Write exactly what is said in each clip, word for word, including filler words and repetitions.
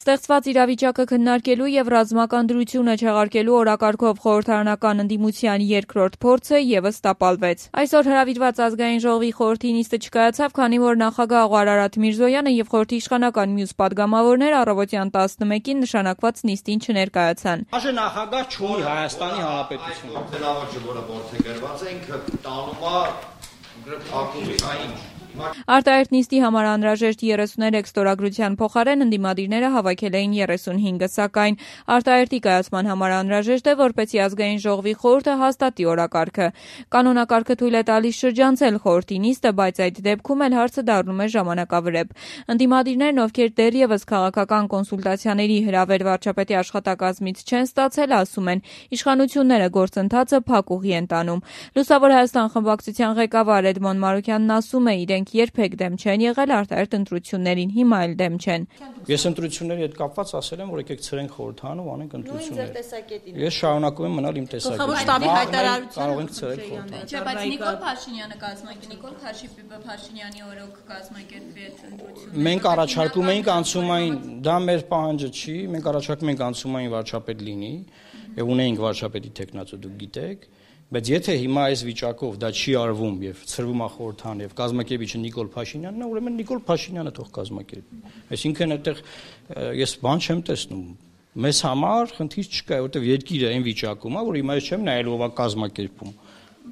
Ստեղծված իրավիճակը քննարկելու եւ ռազմական դրությունը չեղարկելու օրակարգով խորհրդարանական ընդդիմության երկրորդ փորձը եւս տապալվեց։ Այսօր հրավիրված ազգային ժողովի խորհրդի նիստը չկայացավ, քանի որ նախագահ Աղուար Արարատ Միրզոյանը եւ խորհրդի իշխանական մյուս падգամավորները առավոտյան տասնմեկին նշանակված նիստին չներկայացան։ Աշե նախագահ չունի Հայաստանի Հանրապետությունը։ Տենավաճը, որը որդեգրված է, ինքը տանում է ակումբի, այն Արտահերթ նիստի համար անհրաժեշտ երեսուներեք ստորագրության փոխարեն ընդդիմադիրները հավաքել էին երեսունհինգը, սակայն արտահերթի կայացման համար անհրաժեշտ է, որպեսզի ազգային ժողովի խորհուրդը հաստատի օրակարգը։ Կանոնակարգը թույլ է տալիս շրջանցել խորհրդի նիստը, բայց այդ դեպքում էլ հարցը դառնում է ժամանակավրեպ։ Ընդդիմադիրներն, ովքեր դեռևս քաղաքական կոնսուլտացիաների հրավեր վարչապետի աշխատակազմից չեն ստացել, ասում են, իշխանությունները գործընթացը փակուղի են տանում։ Լուսավոր Հայաստան խմբակցության ղեկավար Էդմոն Մարուկյանն ասում է, իրենք երբեք դեմ չեն եղել արտահերթ ընտրություններին, հիմա էլ դեմ չեն։ Ես ընտրությունների հետ կապված ասել եմ, որ եկեք ցրենք խորհրդարանը ու անենք ընտրություններ։ Ես շարունակում եմ մնալ իմ տեսակետին։ Կարող ենք ցրել խորհրդարանը։ Չէ, բայց Նիկոլ Փաշինյանը կազմակերպի, Նիկոլ Փաշինյանի օրոք կազմակերպվի այդ ընտրությունները։ Մենք առաջարկում էինք անցումային, դա մեր պահանջը չի, մենք առաջարկում ենք անցումային վարչապետ լինի, եւ ունեինք վարչապետի տեխնացու, դուք գիտեք։ Բայց եթե հիմա այս վիճակով դա չի արվում եւ ցրվում է խորհրդան եւ կազմակերպիչը Նիկոլ Փաշինյանն է, ուրեմն Նիկոլ Փաշինյանը թող կազմակերպի։ Այսինքն այդտեղ ես բան չեմ տեսնում։ Մեզ համար խնդիր չկա, որովհետեւ երկիրը այն վիճակում է, որ հիմա ես չեմ նայել ով է կազմակերպում։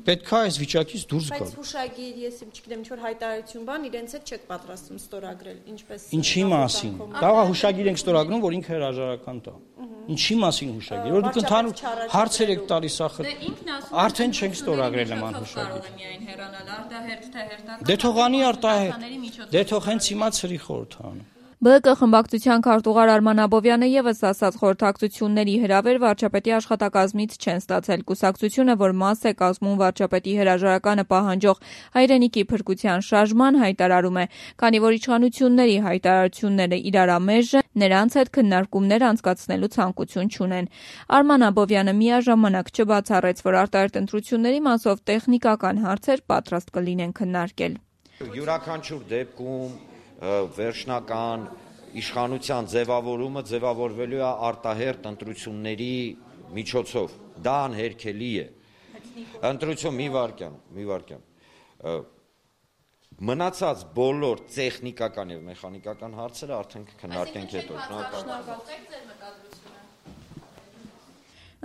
Պետք է այս վիճակից դուրս գալ։ Բայց հուշագիր, ես չգիտեմ, ինչ որ հայտարարություն բան իրենց հետ չեք պատրաստում ստորագրել, ինչպես։ Ինչի մասին։ Կարող է հուշագիր ենք ստորագրում, որ ինքը հրաժարական տա։ Ինչի մասին հուշագիր, որ դուք ընդհանուր հարցեր եք տալիս ախր։ Արդեն չենք ստորագրել նման հուշագիր։ Դե թողանի արտահերթ։ Դե թող հենց հիմա ցրի խորհրդարանը։ Բ Կ խմբակցության քարտուղար Արման Աբովյանը եւս ասաց, խորհրդակցությունների հրավեր վարչապետի աշխատակազմից չեն ստացել։ Կուսակցությունը, որ մաս է կազմում վարչապետի հրաժարականը պահանջող հայրենիքի փրկության շարժման, հայտարարում է, քանի որ իշխանությունների հայտարարությունները իրարամեժ են, նրանց հետ քննարկումներ անցկացնելու ցանկություն չունեն։ Արման Աբովյանը միաժամանակ չբացառեց, որ արտահերթ ընտրությունների մասով տեխնիկական հարցեր պատրաստ կլինեն քննարկել։ Յուրաքանչյուր դեպքում վերջնական իշխանության ձևավորումը ձևավորվելու է արտահերթ ընտրությունների միջոցով։ Դա անհերքելի է։ Ընտրություն մի վարքյան, մի վարքյան։ Մնացած բոլոր տեխնիկական եւ մեխանիկական հարցերը արդեն կքննարկենք հետո։ Շնորհակալ։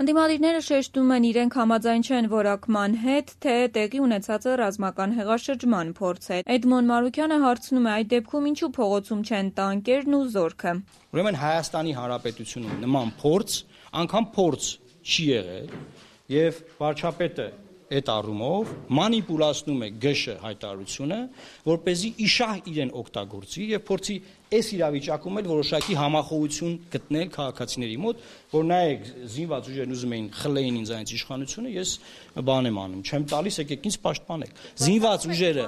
Ընդդիմադիրները շեշտում են, իրենք համաձայն չեն որակման հետ, թե տեղի ունեցածը ռազմական հեղաշրջման փորձ է։ Էդմոն Մարուկյանը հարցնում է, այդ դեպքում ինչու փողոցում չեն տանկերն ու զորքը։ Ուրեմն Հայաստանի Հանրապետությունում նման փորձ, անգամ փորձ չի եղել, եւ վարչապետը այդ առումով մանիպուլացնում է Գ Շ հայտարարությունը, որպեսզի իշահ իրեն օգտագործի եւ փորձի այս իրավիճակում էլ որոշակի համախոհություն գտնել քաղաքացիների մոտ, որ նայեք զինված ուժերն ուզում էին խլեին ինձ այնց իշխանությունը, ես բան եմ անում, չեմ տալիս, եկեք ինձ պաշտպանեք։ Զինված ուժերը,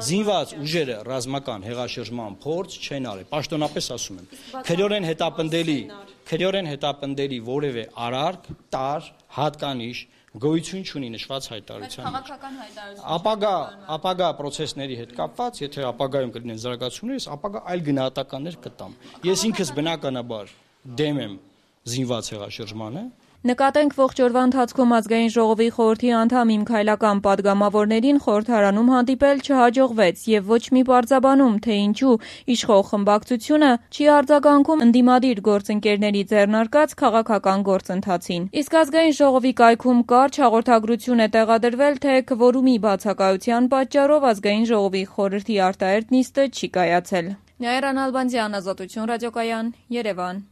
զինված ուժերը ռազմական հեղաշրջման փորձ չեն արել, պաշտոնապես ասում եմ։ Քրեորեն հետապնդելի, քրեորեն հետապնդելի որևէ արարք, տար, հատկանիշ գոյություն չունի նշված հայտարարության մեջ։ Ապագա, ապագա process-ների հետ կապված, եթե ապագայում կլինեն զարգացումներ, ես ապագա այլ գնահատականներ կտամ։ Ես ինքս բնականաբար դեմ եմ զինված հեղաշրջմանը։ Նկատենք ողջ օրվա ընթացքում ազգային ժողովի խորհրդի անդամ իմ քայլական падգամավորներին խորհրդարանում հանդիպել չհաջողվեց եւ ոչ մի պարզաբանում, թե ինչու իշխող խմբակցությունը չի արձագանքում ընդդիմադիր գործընկերների ձեռնարկած քաղաքական գործընթացին։ Իսկ ազգային ժողովի կայքում կարճ հաղորդագրություն է տեղադրվել, թե քվորումի բացակայության պատճառով ազգային ժողովի խորհրդի արտահերթ նիստը չի կայացել։ Նաիրա Նալբանդյան, Ազատություն ռադիոկայան, Երևան։